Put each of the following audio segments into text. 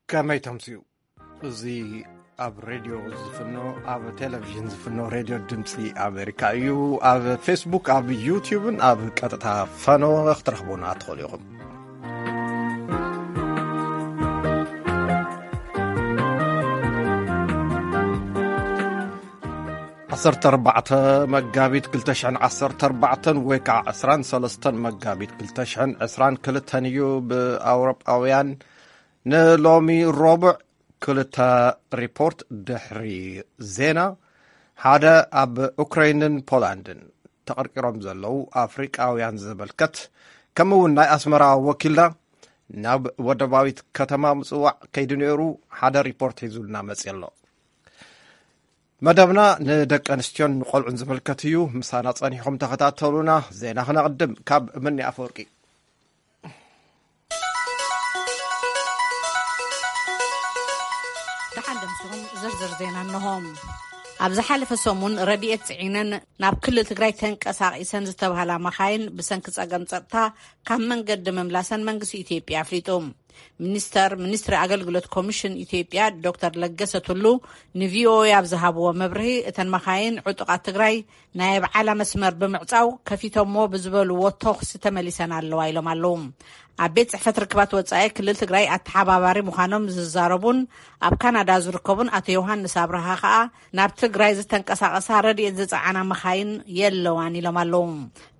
ከመይ ተምስዩ? እዚ ኣብ ሬድዮ ዝፍኖ፣ ኣብ ቴሌቪዥን ዝፍኖ ሬድዮ ድምፂ ኣሜሪካ እዩ። ኣብ ፌስቡክ፣ ኣብ ዩቲዩብን ኣብ ቀጥታ ፈኖ ክትረኽቡና ትኽእሉ ኢኹም። ዓሰርተ ኣርባዕተ መጋቢት ክልተ ሽሕን ዓሰርተ ኣርባዕተን ወይ ከዓ ዕስራን ሰለስተን መጋቢት ክልተ ሽሕን ዕስራን ክልተን እዩ ብኣውሮጳውያን። ንሎሚ ረቡዕ ክልተ ሪፖርት ድሕሪ ዜና፣ ሓደ ኣብ ኡክራይንን ፖላንድን ተቐርቂሮም ዘለዉ ኣፍሪቃውያን ዝምልከት፣ ከምኡ እውን ናይ ኣስመራ ወኪልና ናብ ወደባዊት ከተማ ምጽዋዕ ከይዱ ነይሩ፣ ሓደ ሪፖርት ሒዙልና መጽእ ኣሎ። መደብና ንደቂ ኣንስትዮን ንቆልዑን ዝምልከት እዩ። ምሳና ጸኒሕኩም ተኸታተሉና። ዜና ክነቕድም ካብ ምኒ ኣፈወርቂ። ደሓን ደምሲኹም። ዝርዝር ዜና እንሆ። ኣብ ዝሓለፈ ሰሙን ረድኤት ጽዒነን ናብ ክልል ትግራይ ተንቀሳቒሰን ዝተባህላ መኻይን ብሰንኪ ጸገም ጸጥታ ካብ መንገዲ ምምላሰን መንግስቲ ኢትዮጵያ ኣፍሊጡ። ሚኒስተር ሚኒስትሪ ኣገልግሎት ኮሚሽን ኢትዮጵያ ዶክተር ለገሰ ቱሉ ንቪኦኤ ኣብ ዝሃብዎ መብርሂ፣ እተን መኻይን ዕጡቓት ትግራይ ናይ ኣብዓላ መስመር ብምዕጻው ከፊቶሞ ብዝበልዎ ተኹሲ ተመሊሰን ኣለዋ ኢሎም ኣለዉ። ኣብ ቤት ጽሕፈት ርክባት ወጻኢ ክልል ትግራይ ኣተሓባባሪ ምዃኖም ዝዛረቡን ኣብ ካናዳ ዝርከቡን ኣቶ ዮሃንስ ኣብርሃ ከኣ፣ ናብ ትግራይ ዝተንቀሳቐሳ ረድኤት ዝጸዓና መኻይን የለዋን ኢሎም ኣለዉ።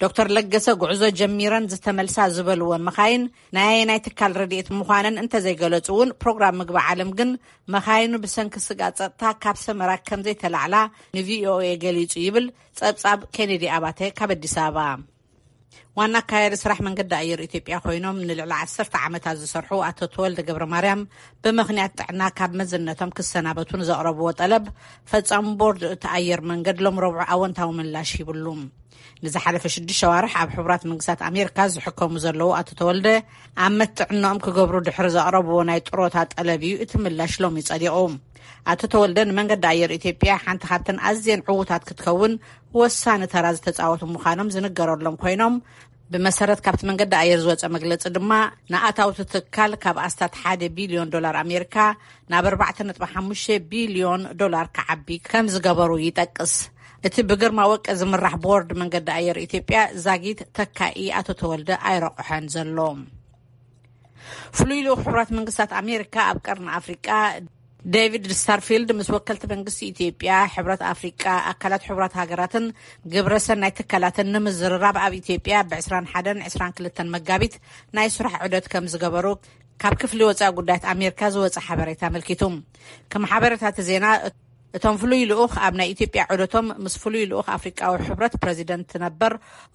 ዶክተር ለገሰ፣ ጉዕዞ ጀሚረን ዝተመልሳ ዝበልወን መኻይን ናይ ኣየናይ ትካል ረድኤት ምዃነን እንተዘይገለጹ እውን፣ ፕሮግራም ምግቢ ዓለም ግን መኻይኑ ብሰንኪ ስግኣት ጸጥታ ካብ ሰመራ ከም ዘይተላዕላ ንቪኦኤ ገሊጹ ይብል ጸብጻብ ኬኔዲ ኣባተ ካብ ኣዲስ ኣበባ። ዋና ኣካያዲ ስራሕ መንገዲ ኣየር ኢትዮጵያ ኮይኖም ንልዕሊ ዓሰርተ ዓመታት ዝሰርሑ ኣቶ ተወልደ ገብረ ማርያም፣ ብምኽንያት ጥዕና ካብ መዝነቶም ክሰናበቱ ንዘቕረብዎ ጠለብ፣ ፈጻሚ ቦርድ እቲ ኣየር መንገድ ሎም ረቡዕ ኣወንታዊ ምላሽ ሂብሉ። ንዝሓለፈ ሽዱሽተ ሸዋርሕ ኣብ ሕቡራት መንግስታት ኣሜሪካ ዝሕከሙ ዘለዉ ኣቶ ተወልደ፣ ኣብ መትዕኖኦም ክገብሩ ድሕሪ ዘቕረብዎ ናይ ጥሮታ ጠለብ እዩ እቲ ምላሽ ሎሚ ጸዲቑ። ኣቶ ተወልደ ንመንገዲ ኣየር ኢትዮጵያ ሓንቲ ካብተን ኣዝየን ዕዉታት ክትከውን ወሳኒ ተራ ዝተጻወቱ ምዃኖም ዝንገረሎም ኮይኖም፣ ብመሰረት ካብቲ መንገዲ ኣየር ዝወጸ መግለጺ ድማ፣ ንኣታውቲ ትካል ካብ ኣስታት ሓደ ቢልዮን ዶላር ኣሜሪካ ናብ ኣርባዕተ ነጥቢ ሓሙሽተ ቢልዮን ዶላር ክዓቢ ከም ዝገበሩ ይጠቅስ። እቲ ብግርማ ወቂ ዝምራሕ ቦርድ መንገዲ ኣየር ኢትዮጵያ ዛጊት ተካኢ ኣቶ ተወልደ ኣይረቑሐን ዘሎ። ፍሉይ ልኡኽ ሕቡራት መንግስታት ኣሜሪካ ኣብ ቀርኒ ኣፍሪቃ ዴቪድ ስታርፊልድ ምስ ወከልቲ መንግስቲ ኢትዮጵያ፣ ሕብረት ኣፍሪቃ፣ ኣካላት ሕቡራት ሃገራትን ግብረ ሰናይ ትካላትን ንምዝርራብ ኣብ ኢትዮጵያ ብ ዕስራን ሓደን ዕስራን ክልተን መጋቢት ናይ ስራሕ ዑደት ከም ዝገበሩ ካብ ክፍሊ ወጻኢ ጉዳያት ኣሜሪካ ዝወጸ ሓበሬታ ኣመልኪቱ። ከም ሓበሬታ እቲ ዜና፣ እቶም ፍሉይ ልኡኽ ኣብ ናይ ኢትዮጵያ ዑደቶም ምስ ፍሉይ ልኡኽ ኣፍሪቃዊ ሕብረት ፕረዚደንት ነበር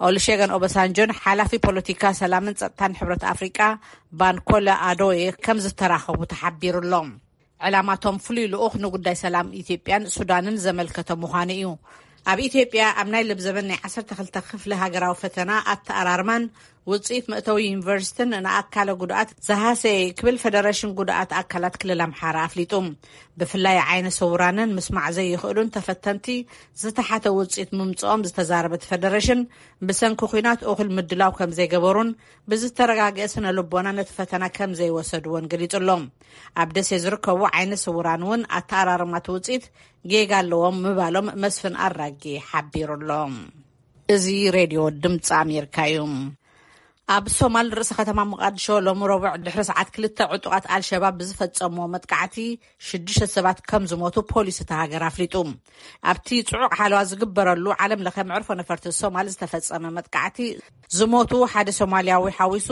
ኦሉሼገን ኦባሳንጆን ሓላፊ ፖለቲካ ሰላምን ጸጥታን ሕብረት ኣፍሪቃ ባንኮለ ኣዶዬ ከም ዝተራኸቡ ተሓቢሩ ኣሎ። ዕላማቶም ፍሉይ ልኡኽ ንጉዳይ ሰላም ኢትዮጵያን ሱዳንን ዘመልከተ ምዃኑ እዩ። ኣብ ኢትዮጵያ ኣብ ናይ ለብዘበን ናይ ዓሰርተ ክልተ ክፍሊ ሃገራዊ ፈተና ኣተኣራርማን ውጽኢት መእተዊ ዩኒቨርሲቲን ንኣካለ ጉድኣት ዝሃሰየ ክብል ፈደረሽን ጉድኣት ኣካላት ክልል ኣምሓራ ኣፍሊጡ። ብፍላይ ዓይነ ስውራንን ምስማዕ ዘይኽእሉን ተፈተንቲ ዝተሓተ ውጽኢት ምምጽኦም ዝተዛረበ እቲ ፈደረሽን፣ ብሰንኪ ኲናት እኹል ምድላው ከም ዘይገበሩን ብዝተረጋግአ ስነ ልቦና ነቲ ፈተና ከም ዘይወሰድዎን ገሊጹ ኣሎ። ኣብ ደሴ ዝርከቡ ዓይነ ስውራን እውን ኣተኣራርማት ውጽኢት ጌጋ ኣለዎም ምባሎም መስፍን ኣራጌ ሓቢሩ ኣሎ። እዚ ሬድዮ ድምፂ ኣሜሪካ እዩ። ኣብ ሶማል ርእሰ ከተማ ሞቃዲሾ ሎሚ ረቡዕ ድሕሪ ሰዓት ክልተ ዕጡቓት ኣልሸባብ ብዝፈጸምዎ መጥቃዕቲ ሽዱሽተ ሰባት ከም ዝሞቱ ፖሊስ እታ ሃገር ኣፍሊጡ። ኣብቲ ጽዑቕ ሓለዋ ዝግበረሉ ዓለም ለኸ መዕርፎ ነፈርቲ ሶማል ዝተፈጸመ መጥቃዕቲ ዝሞቱ ሓደ ሶማልያዊ ሓዊሱ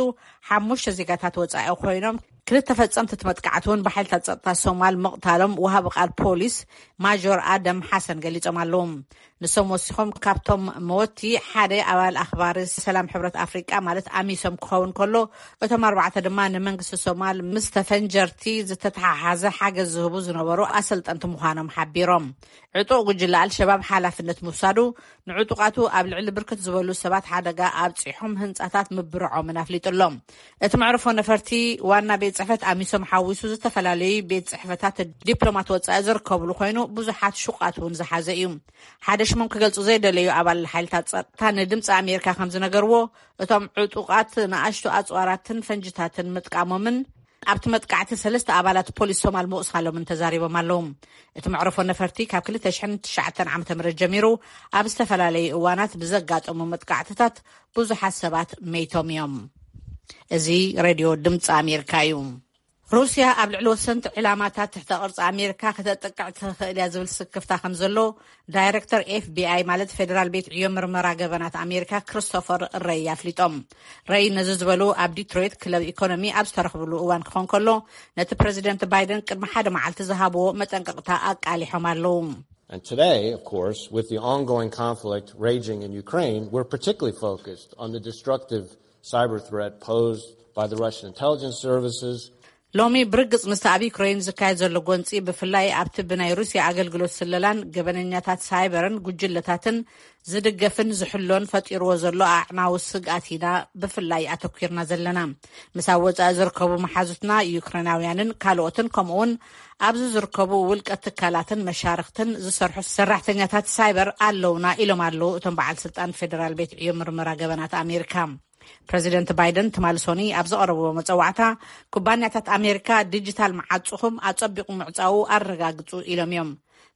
ሓሙሽተ ዜጋታት ወጻኢ ኮይኖም፣ ክልተ ፈጸምቲ እቲ መጥቃዕቲ እውን ብሓይልታት ጸጥታ ሶማል ምቕታሎም ወሃቢ ቃል ፖሊስ ማጆር ኣደም ሓሰን ገሊጾም ኣለዉ። ንሶም ወሲኾም፣ ካብቶም መወቲ ሓደ ኣባል ኣኽባሪ ሰላም ሕብረት ኣፍሪቃ ማለት ኣሚሶም ክኸውን ከሎ፣ እቶም ኣርባዕተ ድማ ንመንግስቲ ሶማል ምስ ተፈንጀርቲ ዝተተሓሓዘ ሓገዝ ዝህቡ ዝነበሩ ኣሰልጠንቲ ምዃኖም ሓቢሮም። ዕጡቕ ጉጅለ ኣልሸባብ ሓላፍነት ምውሳዱ፣ ንዕጡቓቱ ኣብ ልዕሊ ብርክት ዝበሉ ሰባት ሓደጋ ኣብጺሖም ህንጻታት ምብርዖምን ኣፍሊጡ ኣሎ። እቲ መዕርፎ ነፈርቲ ዋና ቤት ጽሕፈት ኣሚሶም ሓዊሱ ዝተፈላለዩ ቤት ጽሕፈታት ዲፕሎማት ወጻኢ ዝርከብሉ ኮይኑ፣ ብዙሓት ሹቓት እውን ዝሓዘ እዩ። ሓደ ሽሞም ክገልጹ ዘይደለዩ ኣባል ሓይልታት ጸጥታ ንድምፂ ኣሜሪካ ከም ዝነገርዎ፣ እቶም ዕጡቓት ንኣሽቱ ኣጽዋራትን ፈንጅታትን ምጥቃሞምን ኣብቲ መጥቃዕቲ ሰለስተ ኣባላት ፖሊስ ሶማል ምቑሳሎምን ተዛሪቦም ኣለዉ። እቲ መዕረፎ ነፈርቲ ካብ ክልተ ሽሕን ትሽዓተን ዓመተ ምህረት ጀሚሩ ኣብ ዝተፈላለዩ እዋናት ብዘጋጠሙ መጥቃዕትታት ብዙሓት ሰባት መይቶም እዮም። እዚ ሬድዮ ድምፂ ኣሜሪካ እዩ። ሩስያ ኣብ ልዕሊ ወሰንቲ ዕላማታት ትሕተ ቅርፂ ኣሜሪካ ከተጥቅዕ ትኽእል እያ ዝብል ስክፍታ ከም ዘሎ ዳይሬክተር ኤፍቢኣይ፣ ማለት ፌደራል ቤት ዕዮ ምርመራ ገበናት ኣሜሪካ፣ ክሪስቶፈር ረይ ኣፍሊጦም። ረይ ነዚ ዝበሉ ኣብ ዲትሮይት ክለብ ኢኮኖሚ ኣብ ዝተረኽብሉ እዋን ክኾን ከሎ፣ ነቲ ፕረዚደንት ባይደን ቅድሚ ሓደ መዓልቲ ዝሃብዎ መጠንቀቕታ ኣቃሊሖም ኣለዉ። And today, of course, with the ongoing conflict raging in Ukraine, we're particularly focused on the destructive cyber threat posed by the Russian intelligence services. ሎሚ ብርግጽ ምስቲ ኣብ ዩክሬን ዝካየድ ዘሎ ጎንጺ፣ ብፍላይ ኣብቲ ብናይ ሩስያ ኣገልግሎት ስለላን ገበነኛታት ሳይበርን ጉጅለታትን ዝድገፍን ዝሕሎን ፈጢርዎ ዘሎ ኣዕናዊ ስግኣት ኢና ብፍላይ ኣተኲርና ዘለና። ምስ ኣብ ወጻኢ ዝርከቡ መሓዙትና ዩክሬናውያንን ካልኦትን፣ ከምኡውን ኣብዚ ዝርከቡ ውልቀ ትካላትን መሻርኽትን ዝሰርሑ ሰራሕተኛታት ሳይበር ኣለውና፣ ኢሎም ኣለዉ እቶም በዓል ስልጣን ፌደራል ቤት ዕዮ ምርመራ ገበናት ኣሜሪካ። ፕረዚደንት ባይደን ትማሊ ሶኒ ኣብ ዘቐረብዎ መጸዋዕታ፣ ኩባንያታት ኣሜሪካ ዲጂታል መዓጹኹም ኣጸቢቑ ምዕጻዉ ኣረጋግጹ ኢሎም እዮም።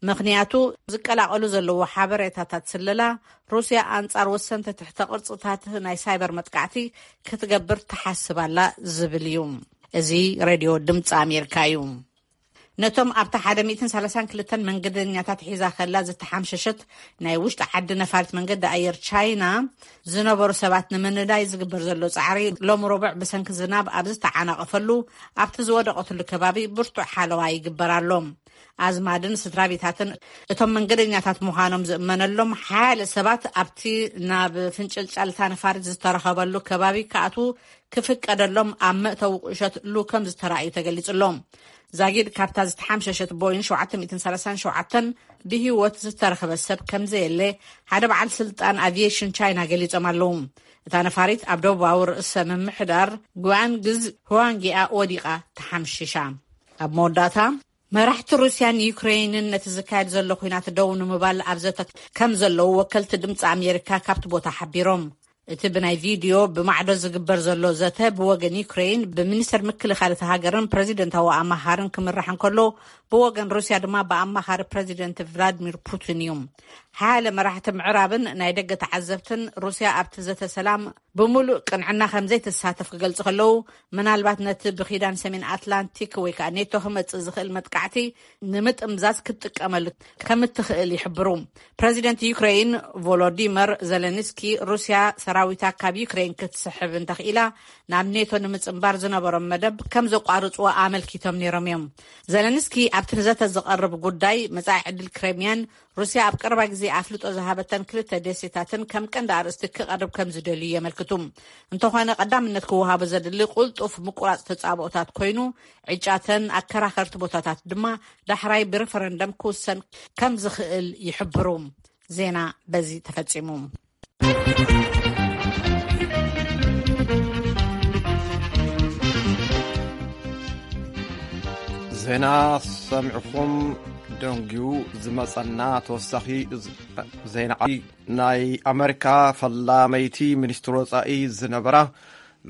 ምኽንያቱ ዝቀላቐሉ ዘለዎ ሓበሬታታት ስለላ፣ ሩስያ ኣንጻር ወሰንቲ ትሕተ ቅርጽታት ናይ ሳይበር መጥቃዕቲ ክትገብር ትሓስብ ኣላ ዝብል እዩ። እዚ ሬድዮ ድምፂ ኣሜሪካ እዩ። ነቶም ኣብታ ሓደ ሚእትን ሰላሳን ክልተን መንገደኛታት ሒዛ ከላ ዝተሓምሸሸት ናይ ውሽጢ ዓዲ ነፋሪት መንገዲ ኣየር ቻይና ዝነበሩ ሰባት ንምንዳይ ዝግበር ዘሎ ጻዕሪ፣ ሎም ረቡዕ ብሰንኪ ዝናብ ኣብ ዝተዓናቐፈሉ ኣብቲ ዝወደቐትሉ ከባቢ ብርቱዕ ሓለዋ ይግበር ኣሎ። ኣዝማድን ስድራ ቤታትን እቶም መንገደኛታት ምዃኖም ዝእመነሎም ሓያለ ሰባት ኣብቲ ናብ ፍንጭልጫልታ ነፋሪት ዝተረኸበሉ ከባቢ ክኣትዉ ክፍቀደሎም ኣብ መእተዊ ቁሸት ሉ ከም ዝተራእዩ ተገሊጹ ኣሎ። ዛጊድ ካብታ ዝተሓምሸሸት ቦይን ሸውዓተ ሚእትን ሰላሳን ሸውዓተን ብህይወት ዝተረኸበ ሰብ ከም ዘየለ ሓደ በዓል ስልጣን ኣቪዬሽን ቻይና ገሊጾም ኣለዉ። እታ ነፋሪት ኣብ ደቡባዊ ርእሰ ምምሕዳር ጓንግዝ ህዋንጊኣ ወዲቓ ተሓምሺሻ። ኣብ መወዳእታ፣ መራሕቲ ሩስያን ዩክሬይንን ነቲ ዝካየድ ዘሎ ኲናት ደው ንምባል ኣብ ዘተ ከም ዘለዉ ወከልቲ ድምፂ ኣሜሪካ ካብቲ ቦታ ሓቢሮም። እቲ ብናይ ቪድዮ ብማዕዶ ዝግበር ዘሎ ዘተ ብወገን ዩክሬይን ብሚኒስተር ምክልኻል እቲ ሃገርን ፕረዚደንታዊ ኣማኻርን ክምራሕ እንከሎ፣ ብወገን ሩስያ ድማ ብኣማኻሪ ፕረዚደንት ቭላድሚር ፑቲን እዩ። ሓያለ መራሕቲ ምዕራብን ናይ ደገ ተዓዘብትን፣ ሩስያ ኣብቲ ዘተ ሰላም ብምሉእ ቅንዕና ከም ዘይትሳተፍ ክገልጹ ከለዉ፣ ምናልባት ነቲ ብኪዳን ሰሜን ኣትላንቲክ ወይ ከኣ ኔቶ ክመጽእ ዝኽእል መጥቃዕቲ ንምጥምዛዝ ክትጥቀመሉ ከም እትኽእል ይሕብሩ። ፕረዚደንት ዩክሬይን ቮሎዲመር ዘለንስኪ፣ ሩስያ ሰራዊታ ካብ ዩክሬይን ክትስሕብ እንተኽኢላ፣ ናብ ኔቶ ንምጽንባር ዝነበሮም መደብ ከም ዘቋርጽዎ ኣመልኪቶም ነይሮም እዮም። ዘለንስኪ ኣብቲ ንዘተ ዝቐርብ ጉዳይ መጻኢ ዕድል ክሬምያን ሩስያ ኣብ ቀረባ ግዜ ኣፍልጦ ዝሃበተን ክልተ ደሴታትን ከም ቀንዲ ኣርእስቲ ክቐርብ ከም ዝደልዩ የመልክቱ። እንተኾነ፣ ቀዳምነት ክወሃቦ ዘድሊ ቁልጡፍ ምቁራጽ ተጻብኦታት ኮይኑ፣ ዕጫተን ኣከራኸርቲ ቦታታት ድማ ዳሕራይ ብረፈረንደም ክውሰን ከም ዝኽእል ይሕብሩ። ዜና በዚ ተፈጺሙ። ዜና ሰሚዕኹም ደንጊዩ ዝመጸና ተወሳኺ ዜና። ናይ ኣመሪካ ፈላመይቲ ሚኒስትር ወጻኢ ዝነበራ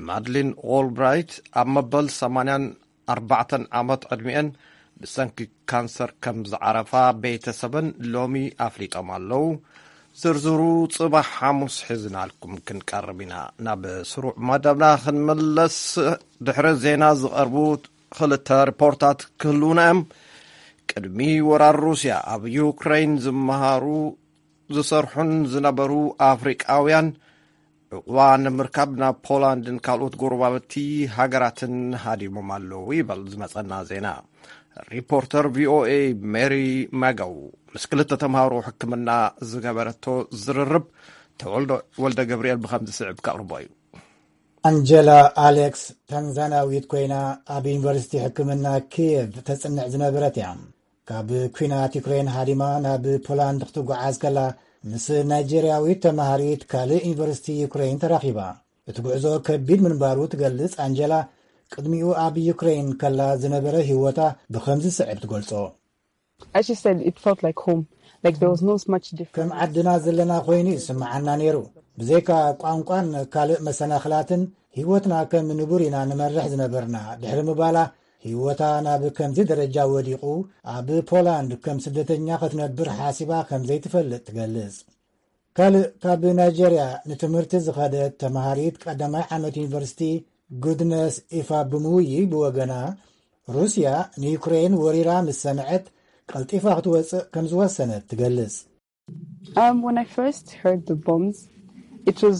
ማድሊን ኦልብራይት ኣብ መበል ሰማንያን ኣርባዕተን ዓመት ዕድሚኤን ብሰንኪ ካንሰር ከም ዝዓረፋ ቤተሰበን ሎሚ ኣፍሊጦም ኣለዉ። ዝርዝሩ ጽባሕ ሓሙስ ሒዝናልኩም ክንቀርብ ኢና። ናብ ስሩዕ መደብና ክንምለስ፣ ድሕሪ ዜና ዝቐርቡ ክልተ ሪፖርታት ክህልዉና እዮም። ቅድሚ ወራር ሩስያ ኣብ ዩክሬን ዝመሃሩ ዝሰርሑን ዝነበሩ ኣፍሪቃውያን ዕቑባ ንምርካብ ናብ ፖላንድን ካልኦት ጎረባብቲ ሃገራትን ሃዲሞም ኣለዉ ይበል ዝመጸና ዜና። ሪፖርተር ቪኦኤ ሜሪ ማጋው ምስ ክልተ ተምሃሮ ሕክምና ዝገበረቶ ዝርርብ ተወልደ ወልደ ገብርኤል ብኸም ዝስዕብ ከቕርቦ እዩ። ኣንጀላ ኣሌክስ ታንዛናዊት ኮይና ኣብ ዩኒቨርሲቲ ሕክምና ኪየቭ ተጽንዕ ዝነበረት እያ። ካብ ኲናት ዩክሬን ሃዲማ ናብ ፖላንድ ክትጓዓዝ ከላ፣ ምስ ናይጄርያዊት ተማሃሪት ካልእ ዩኒቨርሲቲ ዩክሬን ተራኺባ። እቲ ጉዕዞ ከቢድ ምንባሩ ትገልጽ ኣንጀላ፣ ቅድሚኡ ኣብ ዩክሬን ከላ ዝነበረ ህይወታ ብኸምዚ ስዕብ ትገልጾ። As she said, it felt like home. Like there was not much difference. ከም ዓድና ዘለና ኮይኑ ይስምዓና ነይሩ። ብዘይካ ቋንቋን ካልእ መሰናኽላትን፣ ህይወትና ከም ንቡር ኢና ንመርሕ ዝነበርና። ድሕሪ ምባላ፣ ህይወታ ናብ ከምዚ ደረጃ ወዲቑ፣ ኣብ ፖላንድ ከም ስደተኛ ክትነብር ሓሲባ ከም ዘይትፈልጥ ትገልጽ። ካልእ ካብ ናይጀርያ ንትምህርቲ ዝኸደት ተምሃሪት ቀዳማይ ዓመት ዩኒቨርሲቲ ጉድነስ ኢፋ ብምውይ ብወገና፣ ሩስያ ንዩክሬን ወሪራ ምስ ሰምዐት፣ ቀልጢፋ ክትወጽእ ከም ዝወሰነት ትገልጽ። Um, when I first heard the bombs, it was,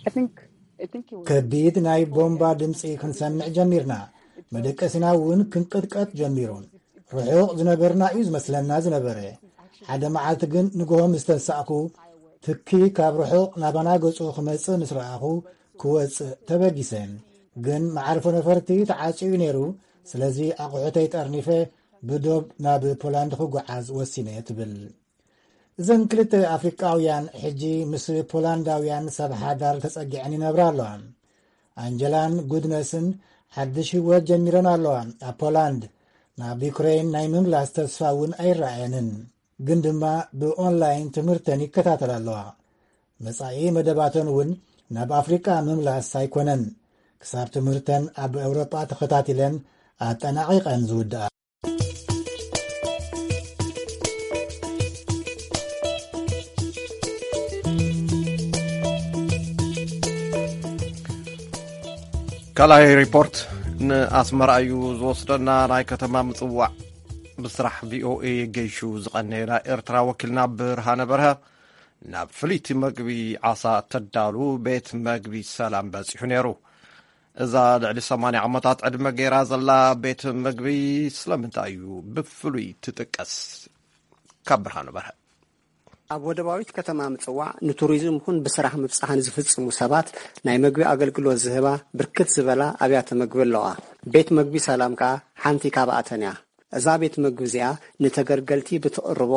I think, I think it was. ከቢድ ናይ ቦምባ ድምፂ ክንሰምዕ ጀሚርና። መደቀሲና እውን ክንቅጥቀጥ ጀሚሩ። ርሑቕ ዝነበርና እዩ ዝመስለና ዝነበረ። ሓደ መዓልቲ ግን ንግሆ ምስ ተንሳእኩ፣ ትኪ ካብ ርሑቕ ናባና ገጹ ክመጽእ ምስ ረኣኹ፣ ክወጽእ ተበጊሰ። ግን መዓርፎ ነፈርቲ ተዓጽዩ ነይሩ። ስለዚ ኣቑሑተይ ጠርኒፈ ብዶብ ናብ ፖላንድ ክጓዓዝ ወሲነ ትብል። እዘን ክልተ ኣፍሪቃውያን ሕጂ ምስ ፖላንዳውያን ሰብ ሓዳር ተጸጊዐን ይነብራ ኣለዋ። ኣንጀላን ጉድነስን ሓድሽ ህይወት ጀሚረን ኣለዋ። ኣብ ፖላንድ ናብ ዩክሬን ናይ ምምላስ ተስፋ እውን ኣይረኣየንን፣ ግን ድማ ብኦንላይን ትምህርተን ይከታተላ ኣለዋ። መጻኢ መደባተን እውን ናብ ኣፍሪቃ ምምላስ ኣይኮነን፣ ክሳብ ትምህርተን ኣብ ኤውሮጳ ተኸታቲለን ኣጠናቒቐን ዝውድኣ። ካልኣይ ሪፖርት ንኣስመራ እዩ ዝወስደና። ናይ ከተማ ምጽዋዕ ብስራሕ ቪኦኤ ገይሹ ዝቐነየ ናይ ኤርትራ ወኪልና ብርሃነ በርሀ ናብ ፍልይቲ መግቢ ዓሳ ተዳሉ ቤት መግቢ ሰላም በጺሑ ነይሩ። እዛ ልዕሊ ሰማንያ ዓመታት ዕድመ ገይራ ዘላ ቤት መግቢ ስለምንታይ እዩ ብፍሉይ ትጥቀስ? ካብ ብርሃኑ በርሀ። ኣብ ወደባዊት ከተማ ምጽዋዕ ንቱሪዝም ይኹን ብስራሕ ምብጻሕ ንዝፍጽሙ ሰባት ናይ መግቢ ኣገልግሎት ዝህባ ብርክት ዝበላ ኣብያተ መግቢ ኣለዋ። ቤት መግቢ ሰላም ከኣ ሓንቲ ካብኣተን እያ። እዛ ቤት መግቢ እዚኣ ንተገልገልቲ ብትቕርቦ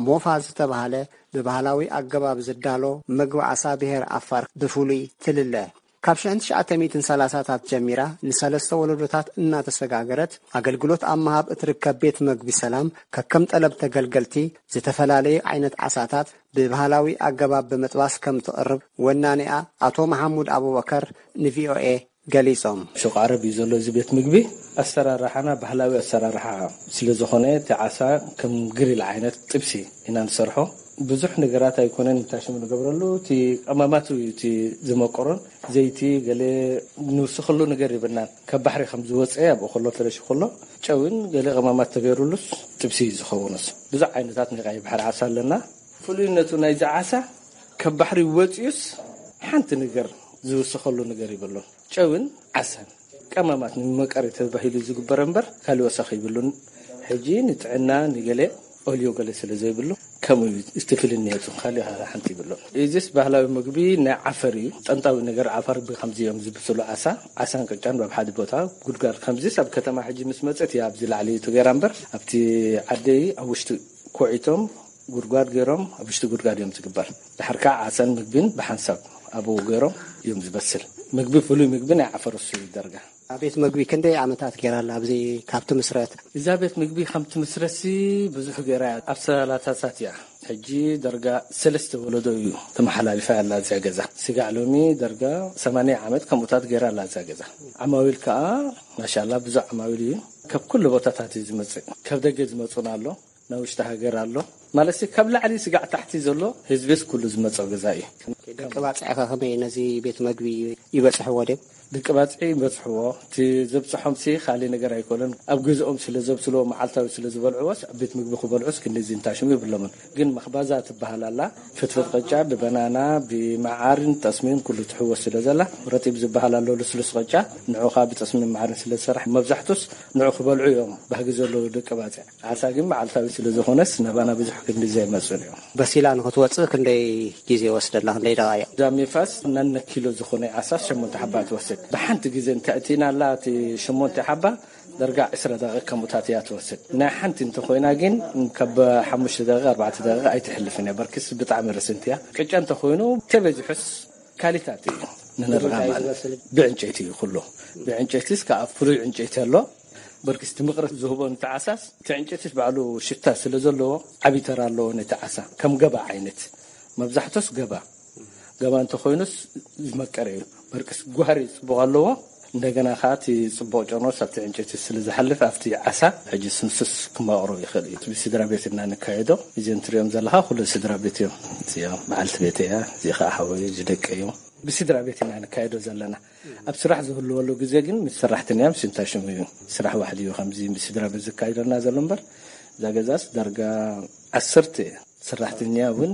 ሞፋ ዝተባህለ ብባህላዊ ኣገባብ ዝዳሎ መግቢ ዓሳ ብሄር ዓፋር ብፍሉይ ትልለ። ካብ ሽሕን ትሽዓተ ሚእትን ሰላሳታት ጀሚራ ንሰለስተ ወለዶታት እናተሰጋገረት ኣገልግሎት ኣብ ምሃብ እትርከብ ቤት መግቢ ሰላም፣ ከከም ጠለብ ተገልገልቲ ዝተፈላለየ ዓይነት ዓሳታት ብባህላዊ ኣገባብ ብምጥባስ ከም ትቕርብ ወናኒኣ ኣቶ መሓሙድ ኣቡበከር ንቪኦኤ ገሊጾም። ሹቕ ዓረብ እዩ ዘሎ እዚ ቤት ምግቢ። ኣሰራርሓና ባህላዊ ኣሰራርሓ ስለ ዝኾነ፣ እቲ ዓሳ ከም ግሪል ዓይነት ጥብሲ ኢና ንሰርሖ። ብዙሕ ነገራት ኣይኮነን፣ እንታሽሙ ንገብረሉ፣ እቲ ቀማማት እዩ እቲ ዝመቆሮን ዘይቲ ገለ ንውስኸሉ ነገር የብልናን። ካብ ባሕሪ ከም ዝወፀ ኣብኡ ከሎ ተለሽ ከሎ ጨውን ገለ ቀማማት ተገይሩሉስ ጥብሲ እዩ ዝኸውንስ። ብዙሕ ዓይነታት ናይ ቀይ ባሕሪ ዓሳ ኣለና። ፍሉይነቱ ናይዚ ዓሳ ካብ ባሕሪ ወፂኡስ ሓንቲ ነገር ዝውስኸሉ ነገር ይብሉን። ጨውን ዓሳን ቀማማት ንመቀሪ ተባሂሉ ዝግበር እምበር ካልእ ወሰኽ ይብሉን። ሕጂ ንጥዕና ንገለ ኦልዮ ገለ ስለ ዘይብሉ ከምኡ እዩ እቲ ፍልንየቱ፣ ካልእ ሓንቲ ይብሉን። እዚስ ባህላዊ ምግቢ ናይ ዓፈር እዩ። ጠንጣዊ ነገር ዓፈር ብከምዚ እዮም ዝብስሉ። ዓሳ፣ ዓሳን ቅጫን ኣብ ሓደ ቦታ ጉድጓድ። ከምዚስ ኣብ ከተማ ሕጂ ምስ መጸት እያ ኣብዚ ላዕሊ እዩ ተገይራ እምበር ኣብቲ ዓደይ ኣብ ውሽጢ ኮዒቶም ጉድጓድ ገይሮም ኣብ ውሽጢ ጉድጓድ እዮም ዝግበር። ድሓር ከዓ ዓሳን ምግቢን ብሓንሳብ ኣብኡ ገይሮም እዮም ዝበስል። ምግቢ ፍሉይ ምግቢ ናይ ዓፈር እሱ እዩ ደርጋ። ኣብ ቤት ምግቢ ክንደይ ዓመታት ገይራ ኣላ ኣብዚ ካብ ትምስረት? እዛ ቤት ምግቢ ከም ትምስረትሲ ብዙሕ ገይራ እያ። ኣብ ሰላሳታት እያ። ሕጂ ደርጋ ሰለስተ ወለዶ እዩ ተመሓላሊፋ ያላ እዚኣ ገዛ። ስጋዕ ሎሚ ደርጋ ሰማንያ ዓመት ከምኡታት ገይራ ኣላ እዛ ገዛ። ዓማዊል ከዓ ማሻላ ብዙሕ ዓማዊል እዩ። ካብ ኩሉ ቦታታት እዩ ዝመፅእ። ካብ ደገ ዝመፁን ኣሎ፣ ናይ ውሽጢ ሃገር ኣሎ። ማለትሲ ካብ ላዕሊ ስጋዕ ታሕቲ ዘሎ ህዝብስ ኩሉ ዝመፅኦ ገዛ እዩ። ደቂ ባፅዕኸ ከመይ ነዚ ቤት መግቢ ይበፅሕዎ ድዮም? ደቂ ባፅዒ ይበፅሕዎ። እቲ ዘብፅሖምሲ ካልእ ነገር ኣይኮነን። ኣብ ገዝኦም ስለ ዘብስልዎ፣ መዓልታዊ ስለ ዝበልዕዎስ፣ ኣብ ቤት ምግቢ ክበልዑስ ክንድዚ እንታሽሙ የብሎምን። ግን መኽባዛ ትበሃል ኣላ። ፍትፍት ቅጫ ብበናና፣ ብመዓርን ጠስሚን ኩሉ ትሕወስ ስለ ዘላ፣ ረጢብ ዝበሃል ኣሎ ልስሉስ ቅጫ። ንዑ ኸኣ ብጠስሚን መዓርን ስለ ዝሰርሕ፣ መብዛሕቱስ ንዑ ክበልዑ እዮም ባህጊ ዘለዉ ደቂ ባፅዕ። ዓሳ ግን መዓልታዊ ስለ ዝኾነስ፣ ናባና ብዙሕ ክንድዚ ኣይመፅኡን እዮም። በሲላ ንኽትወፅእ ክንደይ ግዜ ይወስደላ? ክንደይ ደቓይቕ? እዛ ሜፋስ ናነ ኪሎ ዝኾነ ዓሳ ሸሞንተ ሓባ ትወስድ። ብሓንቲ ግዜ እንተእቲናላ፣ እቲ ሸሞንተ ሓባ ደርጋ ዕስራ ደቂቕ ከምኡታት እያ ትወስድ። ናይ ሓንቲ እንተኾይና ግን ካብ ሓሙሽተ ደቂቕ፣ ኣርባዕተ ደቂቕ ኣይትሕልፍን እያ። በርክስ ብጣዕሚ ርስንቲ እያ። ቅጫ እንተኾይኑ ተበዚሑስ ካሊታት እዩ ንንርኣ ማለት። ብዕንጨይቲ እዩ ኩሉ። ብዕንጨይቲስ ከዓ ፍሉይ ዕንጨይቲ ኣሎ። በርክስ እቲ ምቕረት ዝህቦ ነቲ ዓሳስ፣ እቲ ዕንጨይቲስ ባዕሉ ሽታ ስለ ዘለዎ ዓብዪ ተራ ኣለዎ ነቲ ዓሳ። ከም ገባ ዓይነት። መብዛሕቶስ ገባ። ገማ እንተኾይኑስ ዝመቀረ እዩ። በርቅስ ጓህሪ ጽቡቕ ኣለዎ። እንደገና ከዓ እቲ ጽቡቕ ጨኖስ ኣብቲ ዕንጨይቲ ስለ ዝሓልፍ ኣብቲ ዓሳ ሕጂ ስንሱስ ክመቕሮ ይኽእል እዩ። ብስድራ ቤት ኢና ንካየዶ። እዚኦም ትሪኦም ዘለኻ ኩሉ ስድራ ቤት እዮም። እዚኦም በዓልቲ ቤት እያ፣ እዚ ከዓ ሓወይ፣ እዚ ደቂ እዮም። ብስድራ ቤት ኢና ንካየዶ ዘለና። ኣብ ስራሕ ዝህልወሉ ግዜ ግን ምስ ሰራሕተኛ ምስ እንታይ ሽሙ እዩ፣ ስራሕ ዋሕዲ እዩ ከምዚ ብስድራ ቤት ዝካየደልና ዘሎ እምበር፣ እዛ ገዛስ ዳርጋ ዓሰርተ ሰራሕተኛ እውን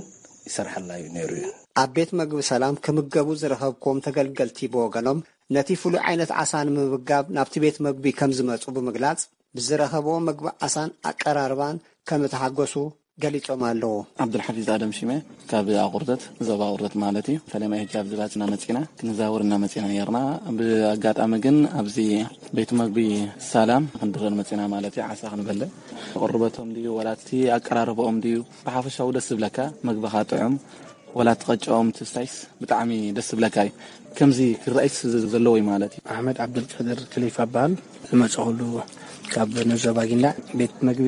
ይሰርሓላ እዩ ነይሩ እዩ። ኣብ ቤት መግቢ ሰላም ክምገቡ ዝረኸብክዎም ተገልገልቲ ብወገኖም፣ ነቲ ፍሉይ ዓይነት ዓሳ ንምምጋብ ናብቲ ቤት መግቢ ከም ዝመጹ ብምግላጽ፣ ብዝረኸብዎ መግቢ ዓሳን ኣቀራርባን ከም እተሓጎሱ ገሊጾም ኣለዉ። ዓብዱልሓፊዝ ኣደም ሽሜ፣ ካብ ኣቑርደት፣ ዞባ ኣቑርደት ማለት እዩ። ፈለማ ሕጂ ኣብዚ ባጽና መጺና፣ ክንዛወር እና መጺና ነርና። ብኣጋጣሚ ግን ኣብዚ ቤት መግቢ ሰላም ክንድረር መጺና ማለት እዩ። ዓሳ ክንበልዕ፣ ቅርበቶም ድዩ ወላ እቲ ኣቀራርባኦም ድዩ፣ ብሓፈሻዊ ደስ ዝብለካ፣ መግብኻ ጥዑም፣ ወላ እቲ ቅጫኦም ትስታይስ ብጣዕሚ ደስ ዝብለካ እዩ። ከምዚ ክረኣይስ ዘለዎ እዩ ማለት እዩ። ኣሕመድ ዓብደልቃድር ክሊፍ ኣበሃል። ዝመጸኹሉ ካብ ንዞባ ጊንዳዕ። ቤት መግቢ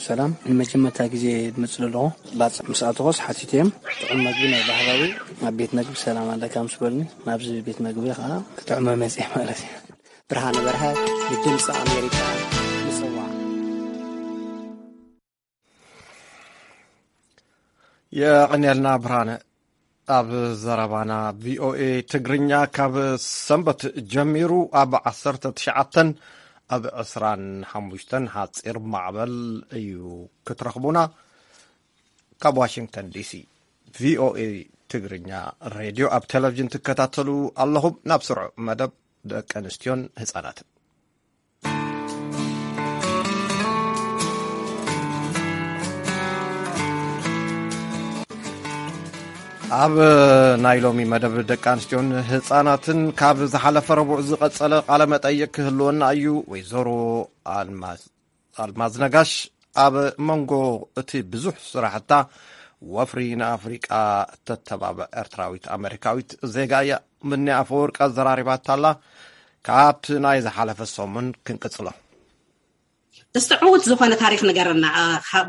ሰላም ንመጀመርታ ግዜ ዝመጽእ ዘለኹ። ባጽዕ ምስ ኣተኹስ ሓቲተ እዮም። ጥዑም መግቢ ናይ ባህላዊ ኣብ ቤት መግቢ ሰላም ኣለካ ምስ በሉኒ፣ ናብዚ ቤት መግቢ ከዓ ክጥዕሞ መጽየ ማለት እዩ። ብርሃነ በርሀ፣ ንድምፂ ኣሜሪካ፣ ምጽዋዕ። የቐንየልና ብርሃነ። ኣብ ዘረባና ቪኦኤ ትግርኛ ካብ ሰንበት ጀሚሩ ኣብ ዓሰርተ ትሽዓተን ኣብ ዕስራን ሓሙሽተን ሓፂር ማዕበል እዩ ክትረኽቡና። ካብ ዋሽንግተን ዲሲ ቪኦኤ ትግርኛ ሬድዮ ኣብ ቴሌቪዥን ትከታተሉ ኣለኹም። ናብ ስሩዕ መደብ ደቂ ኣንስትዮን ህፃናትን። ኣብ ናይ ሎሚ መደብ ደቂ ኣንስትዮን ህፃናትን ካብ ዝሓለፈ ረቡዕ ዝቐጸለ ቃለ መጠይቅ ክህልወና እዩ። ወይዘሮ ኣልማዝ ኣልማዝ ነጋሽ ኣብ መንጎ እቲ ብዙሕ ስራሕታ ወፍሪ ንኣፍሪቃ ተተባብዕ ኤርትራዊት ኣመሪካዊት ዜጋ እያ። ምኒ ኣፈወርቂ ኣዘራሪባታ ኣላ። ካብቲ ናይ ዝሓለፈ ሰሙን ክንቅጽሎ። እስቲ ዕዉት ዝኾነ ታሪኽ ንገረና።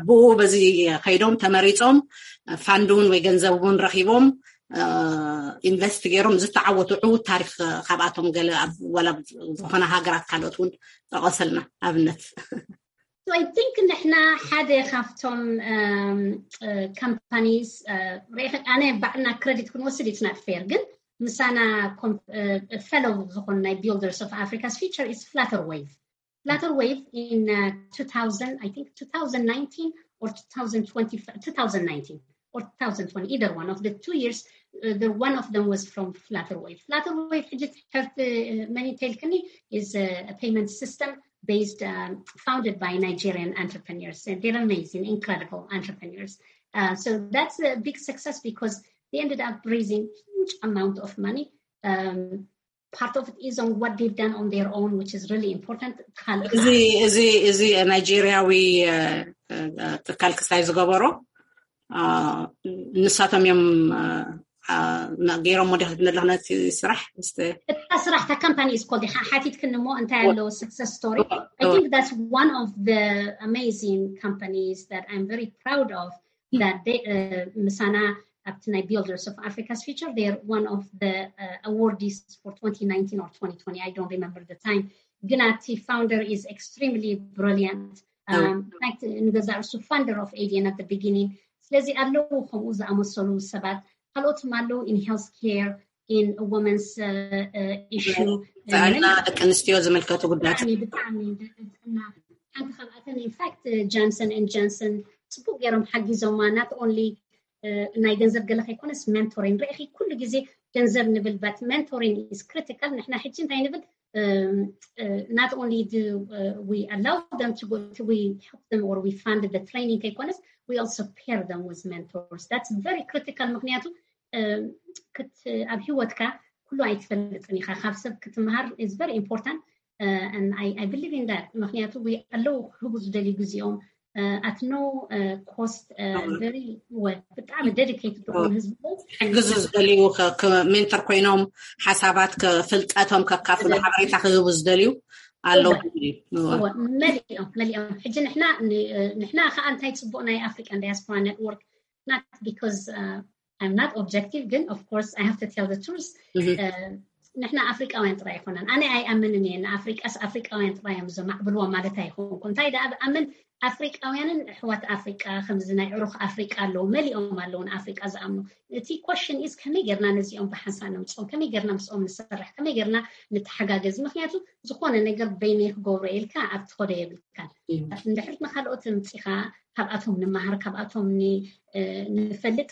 ብኡ በዚ ከይዶም ተመሪጾም ፋንድ እውን ወይ ገንዘብ እውን ረኺቦም ኢንቨስት ገይሮም ዝተዓወቱ ዕዉት ታሪኽ ካብኣቶም ገለ ኣብ ዋላ ዝኾነ ሃገራት ካልኦት እውን ጠቐሰልና ኣብነት። So I think ንሕና ሓደ ካብቶም companies ርኢኺ ኣነ ባዕልና credit ክንወስድ it's not fair ግን ምሳና fellow ዝኾኑ ናይ Builders of Africa's Future is Flutter Wave. Flutter Wave in uh, two thousand, I think two thousand nineteen or two thousand twenty, two thousand nineteen or two thousand twenty, either one of the two years, uh, the one of them was from Flutter Wave. Flutter Wave ሕጂ ትሕርቲ መን ተልክኒ is a, a payment system based, um, founded by Nigerian entrepreneurs. And they're amazing, incredible entrepreneurs. Uh, so that's a big success because they ended up raising huge amount of money. Um, part of it is on what they've done on their own, which is really important. እዚ እዚ እዚ ናይጄሪያዊ ትካል ክሳይ ዝገበሮ ንሳቶም እዮም ገይሮም ወዲ ክትብል ኣለኹ ነቲ ስራሕ። እታ ስራሕ እታ company is called ሓቲትክኒ እሞ እንታይ ኣለዎ success story? I think that's one of the amazing companies that I'm very proud of. That they, uh, ምሳና ኣብቲ ናይ Builders of Africa's Future, they are one of the uh, awardees for twenty nineteen or twenty twenty, I don't remember the time. ግን እቲ founder is extremely brilliant. Um, in fact ንገዛ እርሱ founder of ADN at the beginning. ስለዚ ኣለዉ ከምኡ ዝኣመሰሉ ሰባት። ካልኦትም ኣለዉ in healthcare, in women's uh, uh, issue. ጥዕና ደቂ ኣንስትዮ ዝምልከቱ ጉዳያት። ብጣዕሚ ብጣዕሚ ጥዕና ሓንቲ ካብኣተን in fact Johnson and Johnson ጽቡቅ ገይሮም ሓጊዞማ። Not only ናይ ገንዘብ ገለ ከይኮነስ mentoring። ርኢኺ ኩሉ ግዜ ገንዘብ ንብል but mentoring is critical። ንሕና ሕጂ እንታይ ንብል? Not only do we allow them to go, we help them or we fund the training ከይኮነስ we also pair them with mentors. That's very critical ምክንያቱ ኣብ ሂወትካ ኩሉ ኣይትፈልጥን ኢኻ። ካብ ሰብ ክትምሃር is very important. And I, I believe in that ምክንያቱ ኣለዉ ክህቡ ዝደልዩ ግዜኦም at no cost. Very well ብጣዕሚ dedicated ዝኾኑ ህዝቢ ክሕግዙ ዝደልዩ ሜንተር ኮይኖም ሓሳባት ፍልጠቶም ከካፍሉ ሓበሬታ ክህቡ ዝደልዩ ኣለዉ። መሊኦም መሊኦም ሕጂ ንሕና ንሕና ከዓ እንታይ ፅቡቅ ናይ African Diaspora Network not because I'm not objective ግን of course I have to tell the truth. ንሕና ኣፍሪቃውያን ጥራይ ኣይኮነን። ኣነ ኣይኣምንን እየ ንኣፍሪቃስ ኣፍሪቃውያን ጥራይ እዮም ዘማዕብልዎ ማለት ኣይኮንኩ። እንታይ ደኣ ብኣምን ኣፍሪቃውያንን ኣሕዋት ኣፍሪቃ ከምዚ ናይ ዕሩኽ ኣፍሪቃ ኣለዉ፣ መሊኦም ኣለዉ ንኣፍሪቃ ዝኣምኑ። እቲ question is ከመይ ጌርና ነዚኦም ብሓንሳእ ነምፅኦም፣ ከመይ ጌርና ምስኦም ንሰርሕ፣ ከመይ ጌርና ንተሓጋገዝ። ምክንያቱ ዝኾነ ነገር በይነይ ክገብሮ ኢልካ ኣብ ትኸዶ የብልካን። እንድሕር ንካልኦት ምፂኻ ካብኣቶም ንመሃር፣ ካብኣቶም ንፈልጥ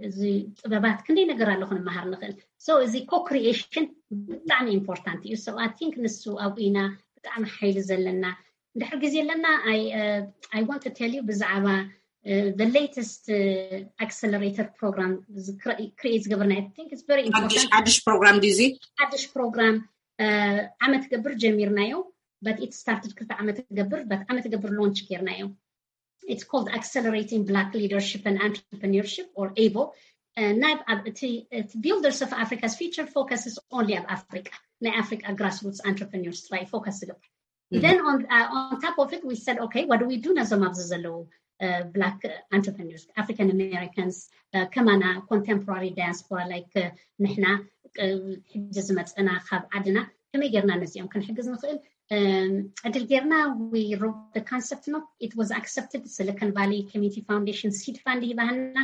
እዚ ጥበባት ክንደይ ነገር ኣሎ ክንመሃር ንኽእል። So እዚ co-creation ብጣዕሚ important እዩ። So I think ንሱ ኣብኡ ኢና ብጣዕሚ ሓይሊ ዘለና። እንድሕር ግዜ ኣለና I want to tell you ብዛዕባ the latest accelerator program create ዝገበርና። I think it's very important። ሓድሽ ፕሮግራም ድዩ እዚ? ሓድሽ ፕሮግራም ዓመት ገብር ጀሚርናዮ። But it started ክልተ ዓመት ገብር but ዓመት ገብር launch ጌርናዮ። It's called Accelerating Black Leadership and Entrepreneurship, or able. Uh, ናይ ኣብ እቲ እቲ Builders of Africa's Future focuses only ኣብ ኣፍሪቃ፣ ናይ ኣፍሪቃ grassroots entrepreneurs ጥራይ focus ዝገብር። Then on uh, on top of it we said okay, what do we do ነዞም ኣብዚ ዘለዉ uh, black entrepreneurs, African Americans, uh, ከማና contemporary diaspora like uh, ንሕና ሕጂ ዝመፀና ካብ ዓድና ከመይ ጌርና ነዚኦም ክንሕግዝ ንኽእል ዕድል ጌርና። We wrote the concept note, it was accepted. Silicon Valley Community Foundation seed fund ሂባህና።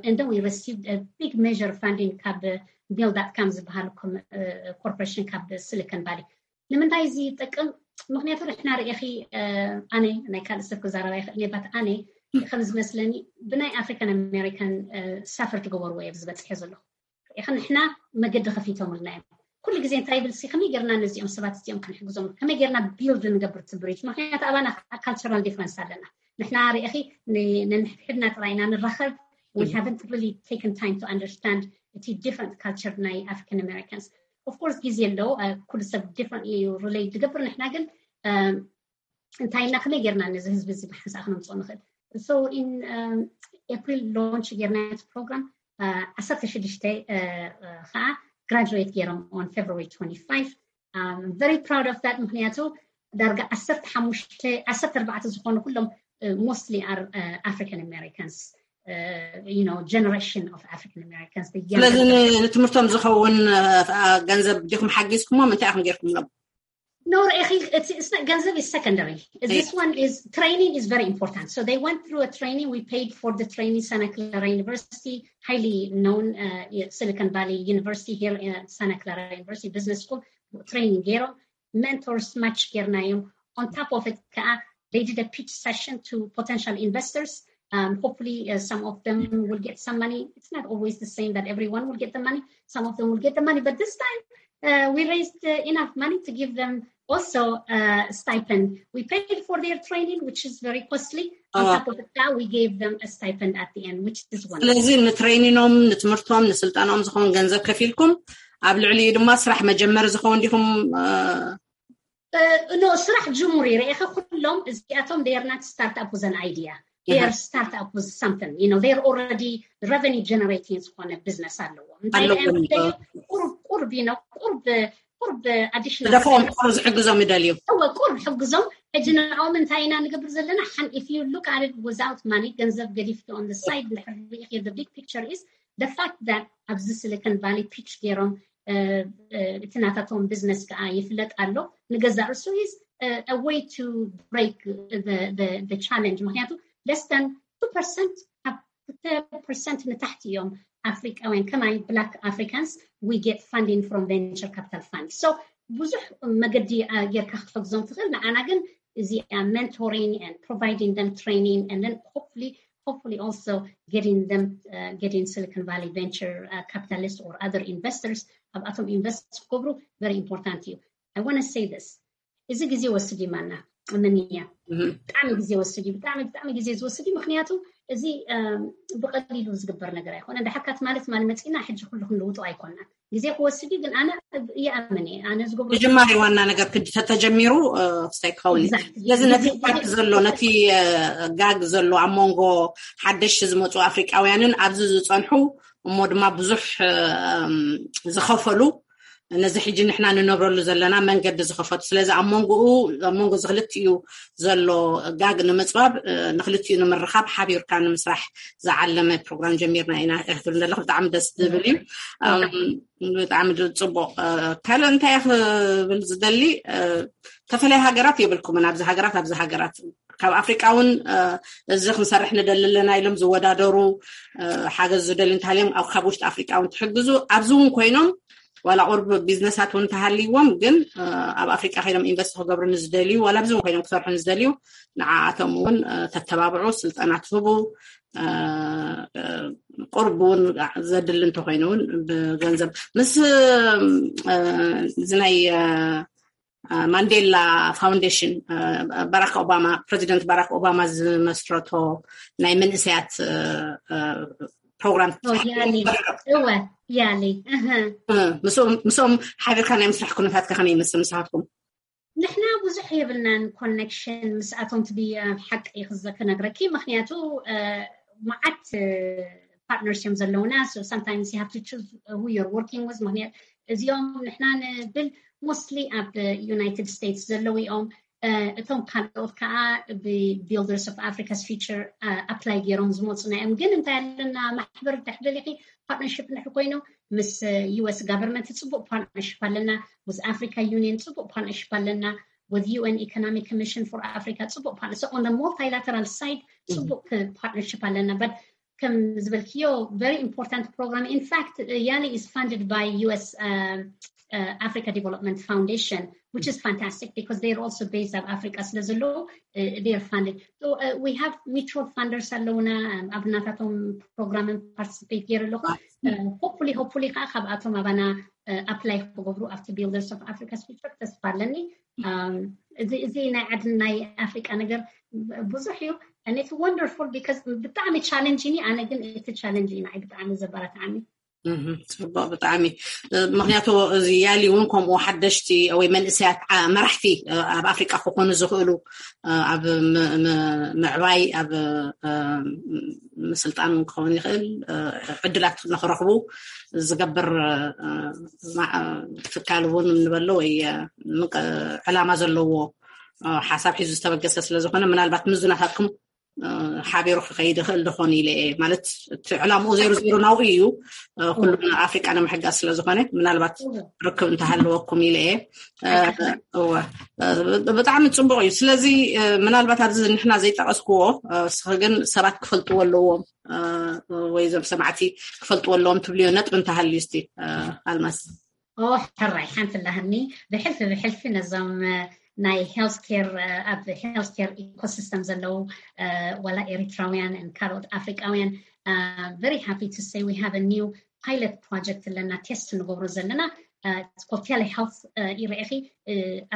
And then we received a big measure funding ካብ Build dot com ዝበሃል corporation ካብ Silicon Valley። ንምንታይ እዚ ይጠቅም? ምክንያቱ ንሕና ርእኺ ኣነ ናይ ካልእ ሰብ ክዛረባ ይኽእል እየ but ኣነ ከም ዝመስለኒ ብናይ African American suffer ዝገበርዎ እየ ዝበፅሐ ዘለኹ። ኢኸ ንሕና መገዲ ከፊቶምልና እዮም። ኩሉ ግዜ እንታይ ይብል ሲ ከመይ ጌርና ነዚኦም ሰባት እዚኦም ክንሕግዞም፣ ከመይ ጌርና build ንገብር ትብሪት። ምክንያቱ ኣባና cultural difference ኣለና። ንሕና ርእኺ ነንሕድሕድና ጥራይና ንራኸብ። We haven't really taken time to understand እቲ different culture ናይ African Americans. Of course ግዜ ኣለዎ፣ ኩሉ ሰብ differently relate ዝገብር። ንሕና ግን እንታይ ኢልና ከመይ ጌርና ነዚ ህዝቢ እዚ ብሓንሳእ ክነምፅኦ ንኽእል? So in April launch ጌርና እቲ ፕሮግራም ዓሰርተ ሽዱሽተ ከዓ graduate ገይሮም on February twenty-five. I'm very proud of that. ምክንያቱ ዳርጋ ዓሰርተ ሓሙሽተ ዓሰርተ ኣርባዕተ ዝኾኑ ኩሎም mostly are African Americans, you know, generation of African Americans. ስለዚ ንትምህርቶም ዝኸውን ገንዘብ ዲኹም ሓጊዝኩሞም? እንታይ ኢኹም ጌርኩምሎም? No, ገንዘብ is secondary. This one is training is very important. So they went through a training. We paid for the training. Santa Clara University, highly known uh, Silicon Valley University here in Santa Clara University Business School. Training ገይሮም mentors match ጌርናዮም። On top of it ከዓ they did a pitch session to potential investors. Um, hopefully uh, some of them will get some money. It's not always the same that everyone will get the money. Some of them will get the money, but this time uh, we raised uh, enough money to give them also uh, stipend. We paid for their training, which is very costly. On top of that, we gave them a stipend at the end, which is one. ስለዚ ንትሬኒኖም ንትምህርቶም ንስልጠናኦም ዝኸውን ገንዘብ ከፊልኩም ኣብ ልዕሊኡ ድማ ስራሕ መጀመሪ ዝኸውን ዲኹም? No, ስራሕ ጅሙር ይረኤኸ ኩሎም እዚኣቶም they are not start up with an idea. They are start up with something. You know, they are already revenue generating ዝኾነ business ኣለዎም። እንታይ ቁርብ ቁርብ you know ቁርብ ቁርብ additional ደፈኦም ቁርብ ዝሕግዞም ይደልዩ። እወ ቁርብ ሕግዞም። ሕጂ ንዕኦም እንታይ ኢና ንገብር ዘለና? ሓን if you look at it without money ገንዘብ ገዲፍኪ on the side እንድሕር ርኢኺ the big picture is the fact that ኣብዚ Silicon Valley pitch ገይሮም እቲ ናታቶም business ከዓ ይፍለጥ ኣሎ። ንገዛእ ርእሱ is a way to break the challenge። ምክንያቱ less than two percent፣ ካብ ክልተ percent ንታሕቲ እዮም ኣፍሪቃውያን። ከማይ black Africans we get funding from venture capital fund. So ብዙሕ መገዲ ጌርካ ክትሕግዞም ትኽእል። ንዓና ግን እዚኣ mentoring and providing them training and then hopefully hopefully also getting them uh, getting Silicon Valley venture uh, capitalist or other investors ኣብኣቶም invest ክገብሩ very important እዩ። I want to say this, እዚ ግዜ ወስድ ይማና ምንያ ብጣዕሚ ግዜ ወስድ እዩ። ብጣዕሚ ብጣዕሚ ግዜ ዝወስድ እዩ። ምክንያቱ እዚ ብቀሊሉ ዝግበር ነገር ኣይኮነ። እንድሕርካት ማለት ማለት መፂና ሕጂ ኩሉ ክንልውጦ ኣይኮና። ግዜ ክወስድ እዩ ግን ኣነ ይኣምን እየ። ኣነ ዝገብሮ ምጅማር ዋና ነገር ክዲ ተተጀሚሩ ክስታይ ክኸውን እዩ። ስለዚ ነቲ gap ዘሎ ነቲ ጋግ ዘሎ ኣብ መንጎ ሓደሽቲ ዝመፁ ኣፍሪቃውያንን ኣብዚ ዝፀንሑ እሞ ድማ ብዙሕ ዝኸፈሉ ነዚ ሕጂ ንሕና ንነብረሉ ዘለና መንገዲ ዝኸፈቱ። ስለዚ ኣብ መንጎኡ ኣብ መንጎ እዚ ክልቲኡ ዘሎ ጋግ ንምፅባብ ንክልቲኡ ንምርኻብ ሓቢርካ ንምስራሕ ዝዓለመ ፕሮግራም ጀሚርና ኢና። ክብል ዘለኹ ብጣዕሚ ደስ ዝብል እዩ። ብጣዕሚ ጽቡቕ። ካልእ እንታይ ክብል ዝደሊ፣ ተፈለየ ሃገራት የብልኩምን፣ ኣብዚ ሃገራት ኣብዚ ሃገራት ካብ ኣፍሪቃ እውን እዚ ክንሰርሕ ንደሊ ኣለና ኢሎም ዝወዳደሩ ሓገዝ ዝደሊ እንተሃልዮም ኣብ ካብ ውሽጢ ኣፍሪቃ እውን ትሕግዙ ኣብዚ እውን ኮይኖም ዋላ ቁርብ ቢዝነሳት እውን እንተሃልይዎም ግን ኣብ ኣፍሪቃ ኮይኖም ኢንቨስት ክገብሩ ንዝደልዩ ዋላ ኣብዚ እውን ኮይኖም ክሰርሑ ንዝደልዩ ንዓኣቶም እውን ተተባብዑ፣ ስልጠና ትህቡ፣ ቁርብ እውን ዘድሊ እንተኮይኑ እውን ብገንዘብ ምስ እዚ ናይ ማንዴላ ፋውንዴሽን ባራክ ኦባማ ፕሬዚደንት ባራክ ኦባማ ዝመስረቶ ናይ መንእሰያት ፕሮግራም ያሊ እወ ያሊ ምስኦም ሓቢርካ ናይ ምስራሕ ኩነታት ከመይ ይመስል? ንስኻትኩም ንሕና ብዙሕ የብልናን ኮኔክሽን ምስኣቶም ትብያ ሓቂ ክነግረኪ ምክንያቱ መዓት ፓርትነርስ እዮም ዘለውና። Sometimes you have to choose who you're working with ምክንያቱ እዚኦም ንሕና ንብል mostly ኣብ ዩናይትድ ስቴትስ ዘለዉ እዮም። እቶም ካልኦት ከዓ ብቢልደርስ ኦፍ ኣፍሪካስ ፊቸር ኣፕላይ ገይሮም ዝመፁና እዮም። ግን እንታይ ኣለና ማሕበር እንድሕር ደሊኪ ፓርትነርሽፕ እንድሕር ኮይኑ ምስ ዩስ ጋቨርንመንት ፅቡቅ ፓርትነርሽፕ ኣለና። ምስ ኣፍሪካ ዩኒየን ፅቡቅ ፓርትነርሽፕ ኣለና። With UN Economic Commission for Africa ፅቡቅ ፓርትነር on the multilateral side ፅቡቅ ፓርትነርሽፕ ኣለና። But ከም ዝበልክዮ very important program. In fact, YALI is funded by US Africa Development Foundation, which is fantastic because they are also based ኣብ ኣፍሪካ ስለ ዘለዉ they are funded. So we have mutual funders ኣለውና። ኣብ ናታቶም ፕሮግራምን ፓርቲስፔት ገይሩ ኣለኹ። Hopefully hopefully ከዓ ካብኣቶም ኣባና ኣፕላይ ክገብሩ ኣብቲ ቢልደርስ ኦፍ ኣፍሪካስ ፊቸር ተስፋ ኣለኒ። እዚ ናይ ዓድን ናይ ኣፍሪቃ ነገር ብዙሕ እዩ። It's wonderful because ብጣዕሚ ቻለንጅ ኒ ኣነ ግን እቲ ቻለንጅ እዩ ንዓይ ብጣዕሚ ዘበረታዓኒ። ጽቡቅ ብጣዕሚ። ምክንያቱ እዚ ያሊ እውን ከምኡ ሓደሽቲ ወይ መንእሰያት መራሕቲ ኣብ ኣፍሪቃ ክኾኑ ዝኽእሉ ኣብ ምዕባይ ኣብ ምስልጣን ክኸውን ይኽእል ዕድላት ንክረኽቡ ዝገብር ትካል እውን ንበሎ ወይ ዕላማ ዘለዎ ሓሳብ ሒዙ ዝተበገሰ ስለዝኾነ ምናልባት ምዙናታትኩም ሓቢሩ ክኸይድ ይኽእል ድኾን ኢለ እየ። ማለት እቲ ዕላምኡ ዜሮ ዜሮ ናብኡ እዩ፣ ኩሉ ኣፍሪቃ ንምሕጋዝ ስለዝኾነ ምናልባት ርክብ እንተሃለወኩም ኢለ እየ። እወ፣ ብጣዕሚ ፅቡቅ እዩ። ስለዚ ምናልባት ኣብዚ ንሕና ዘይጠቀስክዎ እስኺ ግን ሰባት ክፈልጥዎ ኣለዎም ወይ እዞም ሰማዕቲ ክፈልጥዎ ኣለዎም ትብልዮ ነጥቢ እንተሃልዩ እስቲ ኣልማዝ። ሕራይ ሓንቲ ላህኒ ብሕልፊ ብሕልፊ ነዞም ናይ ሄልስኬር ኣብ ሄልስኬር ኢኮሲስተም ዘለዉ ዋላ ኤሪትራውያን ካልኦት ኣፍሪቃውያን very happy to say we have a new pilot project ኣለና። ቴስት ንገብሮ ዘለና ኮፍያለ ሄልት ይረኢኺ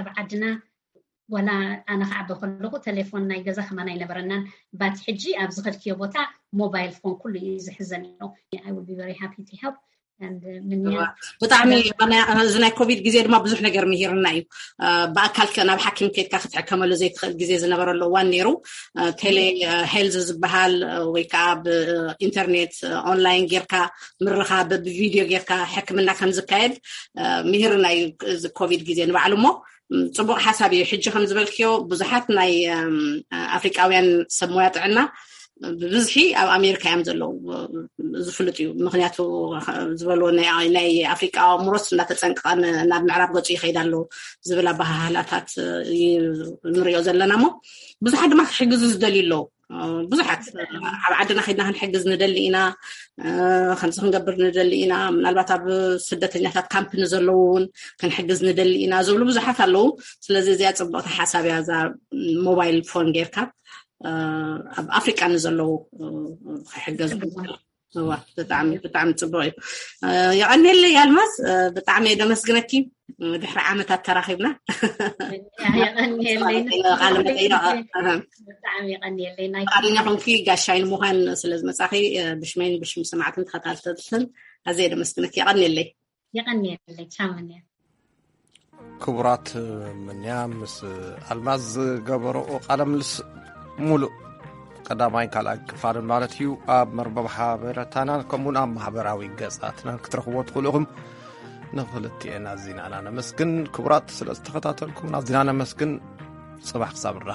ኣብ ዓድና ዋላ ኣነ ክዓበ ከለኹ ቴሌፎን ናይ ገዛ ከማን ኣይነበረናን። ባት ሕጂ ኣብ ዝኸድክዮ ቦታ ሞባይል ፎን ኩሉ እዩ ዝሕዘን ኣሎ። I will be very happy to help. ብጣዕሚ እዚ ናይ ኮቪድ ግዜ ድማ ብዙሕ ነገር ምሂርና እዩ። ብኣካል ናብ ሓኪም ከድካ ክትሕከመሉ ዘይትኽእል ግዜ ዝነበረሉ እዋን ነይሩ። ቴሌ ሄልዝ ዝበሃል ወይ ከዓ ብኢንተርኔት ኦንላይን ጌርካ ምርኻብ ብቪድዮ ጌርካ ሕክምና ከም ዝካየድ ምሂርና እዩ። እዚ ኮቪድ ግዜ ንባዕሉ እሞ ፅቡቅ ሓሳብ እዩ። ሕጂ ከም ዝበልክዮ ብዙሓት ናይ ኣፍሪቃውያን ሰብ ሞያ ጥዕና ብብዝሒ ኣብ ኣሜሪካ እዮም ዘለዉ ዝፍልጥ እዩ። ምክንያቱ ዝበልዎ ናይ ኣፍሪቃ ኣእምሮስ እናተፀንቀቐ ናብ ምዕራብ ገፁ ይኸይድ ኣሎ ዝብል ኣባሃህላታት ንሪኦ ዘለና እሞ ብዙሓት ድማ ክሕግዙ ዝደልዩ ኣለዉ። ብዙሓት ኣብ ዓድና ከድና ክንሕግዝ ንደሊ ኢና፣ ከምዚ ክንገብር ንደሊ ኢና፣ ምናልባት ኣብ ስደተኛታት ካምፕ ንዘለዉ እውን ክንሕግዝ ንደሊ ኢና ዝብሉ ብዙሓት ኣለዉ። ስለዚ እዚኣ ፅቡቅቲ ሓሳብ እያ እዛ ሞባይል ፎን ጌርካ ኣብ ኣፍሪቃ ንዘለዉ ክሕገዝ። እዋ ብጣዕሚ ብጣዕሚ ፅቡቅ እዩ። የቐንየለይ ኣልማዝ፣ ብጣዕሚ እየ ደመስግነኪ። ድሕሪ ዓመታት ተራኺብና የቐንየለይ። ቃለ መጠይቕ ብጣዕሚ የቐንየለይ ናይ ፍቓደኛ ኮንኪ ጋሻይ ንምዃን ስለ ዝመጻኺ ብሽመይን ብሽም ሰማዕትን ተኸታተልትን ኣዝየ ደመስግነኪ። የቐንየለይ። የቐንየለይ። ቻው ምንያ። ክቡራት ምንያ ምስ ኣልማዝ ዝገበረኦ ቃለ ምልስ ሙሉእ ቀዳማይ ካልኣይ ክፋልን ማለት እዩ ኣብ መርበብ ሓበሬታናን ከምኡን ኣብ ማሕበራዊ ገጻትናን ክትረኽቦ ትኽእሉ ኢኹም። ንኽልቲኤን ኣዚና ነመስግን። ክቡራት፣ ስለ ዝተኸታተልኩም ኣዚና ነመስግን። ጽባሕ ክሳብ ንራኸብ።